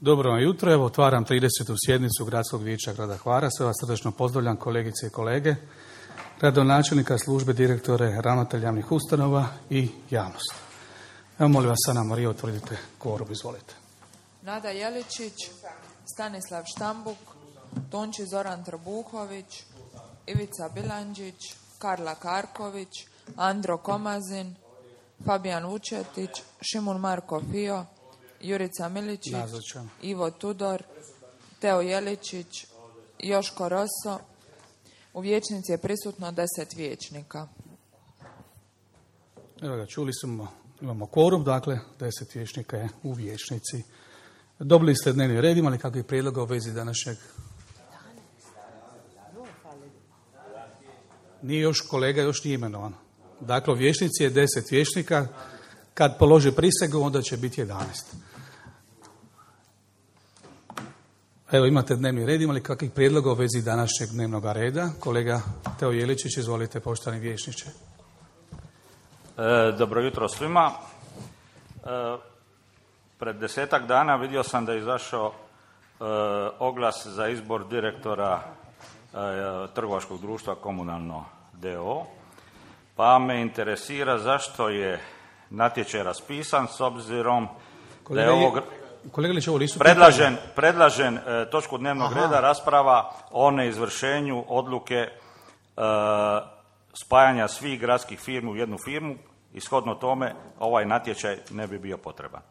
Dobro vam jutro, evo otvaram 30. sjednicu Gradskog vijeća grada Hvara. Sve vas srdačno pozdravljam, kolegice i kolege, gradonačelnika, službe, direktore, ravnatelja javnih ustanova i javnost. Evo molim vas, Ana Marija, utvrdite kvorum, izvolite. Nada Jeličić, Stanislav Štambuk, Tonči Zoran Trbuhović, Ivica Bilandžić, Karla Karković, Andro Komazin, Fabijan Vučetić, Šimun Marko Fio, Jurica Miličić, Nazočan. Ivo Tudor, Teo Jeličić, Joško Roso. U vijećnici je prisutno 10 vijećnika. Evo ga, čuli smo, imamo kvorum, dakle 10 vijećnika je u vijećnici. Dobili ste dnevni red, imali kakvih prijedloga u vezi današnjeg? Nije još kolega, još nije imenovan. Dakle, u vijećnici je 10 vijećnika. Kad položi prisegu, onda će biti 11. Evo, imate dnevni red, imali kakvih prijedloga u vezi današnjeg dnevnog reda? Kolega Teo Jeličić, izvolite, poštovani vijećniče. Dobro jutro svima. Pred 10-ak dana vidio sam da je izašao oglas za izbor direktora trgovačkog društva Komunalno d.o.o. Pa me interesira zašto je natječaj raspisan s obzirom da je ovo... Kolega Lić, ovo nisu predlažen točku dnevnog reda rasprava o neizvršenju odluke spajanja svih gradskih firmi u jednu firmu i shodno tome ovaj natječaj ne bi bio potreban.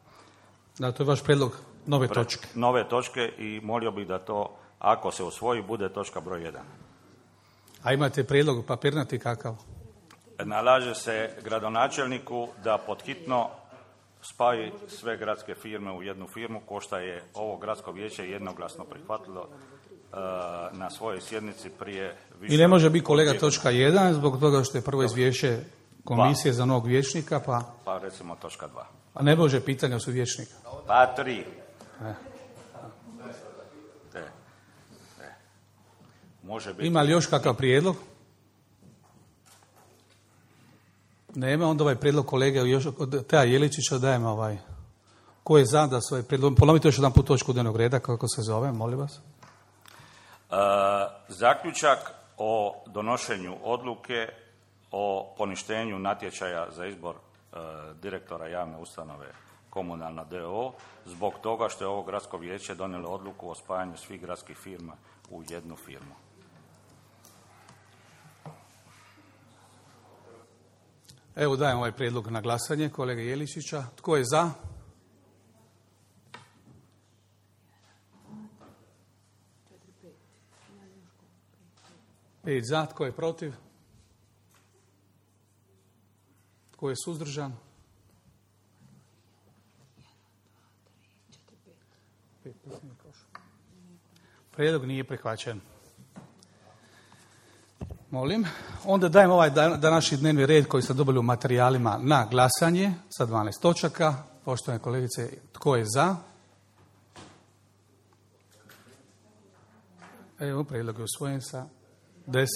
Da, to je vaš prijedlog nove točke. Nove točke i molio bih da to, ako se usvoji, bude točka broj 1. A imate prijedlog papirnati kakav? Nalaže se gradonačelniku da podhitno spaji sve gradske firme u jednu firmu, ko što je ovo gradsko vijeće jednoglasno prihvatilo na svojoj sjednici prije više. I ne može biti kolega točka 1 zbog toga što je prvo izvješće komisije za novog vijećnika, pa recimo točka 2. A ne može pitanja su vijećnika. Pa 3. Može biti. Ima li još kakav prijedlog? Nema, onda ovaj prijedlog kolege od Teja Jeličića dajemo ovaj. Ko je za da svoj prijedlog? Ponovite još jedan put točku dnevnog reda, kako se zove, molim vas. Zaključak o donošenju odluke o poništenju natječaja za izbor direktora javne ustanove Komunalno d.o.o. zbog toga što je ovo gradsko vijeće donijelo odluku o spajanju svih gradskih firma u jednu firmu. Evo dajem ovaj prijedlog na glasanje kolege Jeličića. Tko je za? Pet za. Tko je protiv? Tko je suzdržan? Prijedlog nije prihvaćen. Molim. Onda dajem ovaj današnji dnevni red koji ste dobili u materijalima na glasanje sa 12 točaka. Poštovane kolegice, tko je za? Evo, prijedlog je usvojen sa 10.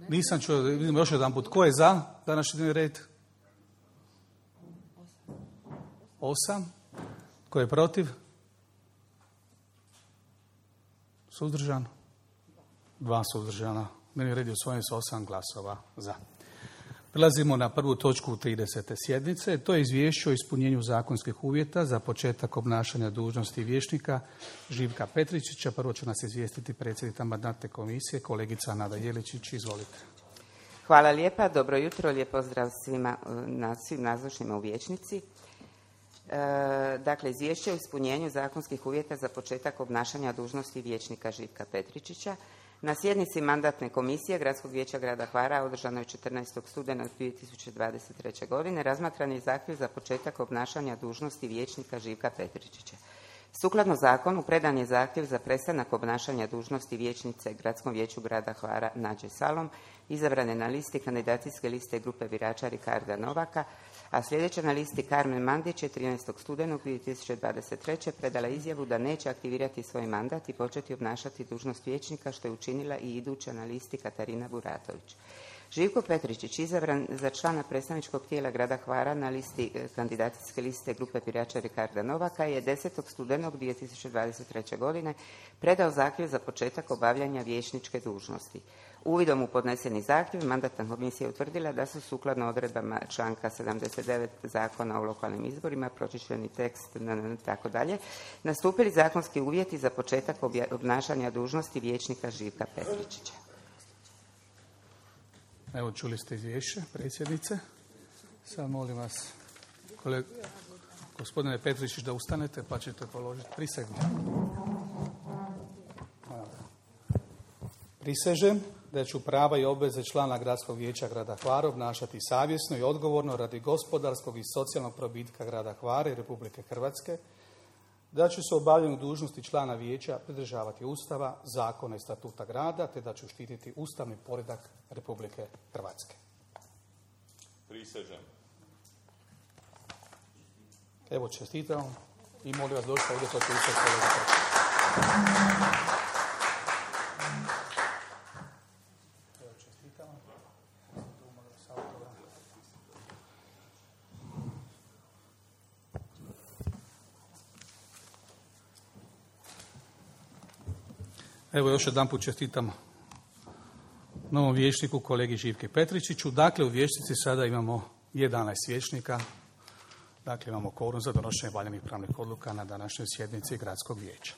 Nisam čuo, vidimo još jedan put. Tko je za današnji dnevni red? 8. Tko je protiv? Suzdržan? 2 suzdržana. Dnevni red je usvojen sa 8 glasova za. Prelazimo na prvu točku 30. sjednice. To je izvješće o ispunjenju zakonskih uvjeta za početak obnašanja dužnosti vijećnika Živka Petričića. Prvo će nas izvijestiti predsjednica Mandatne komisije, kolegica Nada Jeličić. Izvolite. Hvala lijepa. Dobro jutro. Lijep pozdrav svim nazočnima u vijećnici. Dakle, izvješće o ispunjenju zakonskih uvjeta za početak obnašanja dužnosti vijećnika Živka Petričića. Na sjednici Mandatne komisije Gradskog vijeća grada Hvara održanoj 14. studenog 2023. godine razmatran je zahtjev za početak obnašanja dužnosti vijećnika Živka Petričića. Sukladno zakonu predan je zahtjev za prestanak obnašanja dužnosti vijećnice Gradskom vijeću grada Hvara Nađe Salom, izabrane na listi kandidacijske liste grupe birača Ricarda Novaka, a sljedeća na listi Karmen Mandić je 13. studenog 2023. predala izjavu da neće aktivirati svoj mandat i početi obnašati dužnost vijećnika, što je učinila i iduća na listi Katarina Buratović. Živko Petričić izabran za člana predstavničkog tijela grada Hvara na listi kandidacijske liste grupe birača Ricarda Novaka je 10. studenog 2023. godine predao zahtjev za početak obavljanja vijećničke dužnosti. Uvidom u podneseni zahtjev mandatna komisija utvrdila da su sukladno odredbama članka 79 Zakona o lokalnim izborima, pročišćeni tekst tako dalje, nastupili zakonski uvjeti za početak obnašanja dužnosti vijećnika Živka Petričića. Evo, čuli ste izvješće predsjednice. Sad molim vas, gospodine Petričić, da ustanete pa ćete položiti prisegu. Prisežem da ću prava i obveze člana Gradskog vijeća grada Hvara obnašati savjesno i odgovorno radi gospodarskog i socijalnog probitka grada Hvara i Republike Hrvatske, da ću se u obavljanju dužnosti člana vijeća pridržavati Ustava, zakona i statuta grada, te da ću štititi ustavni poredak Republike Hrvatske. Prisežem. Evo, čestitam i molim vas došli ovdje potpisati kolega. Evo, čestitam. Evo, još jedan put čestitam novom vijećniku, kolegi Živke Petričiću. Dakle, u vijećnici sada imamo 11 vijećnika. Dakle, imamo kvorum za donošenje valjanih pravnih odluka na današnjoj sjednici Gradskog vijeća.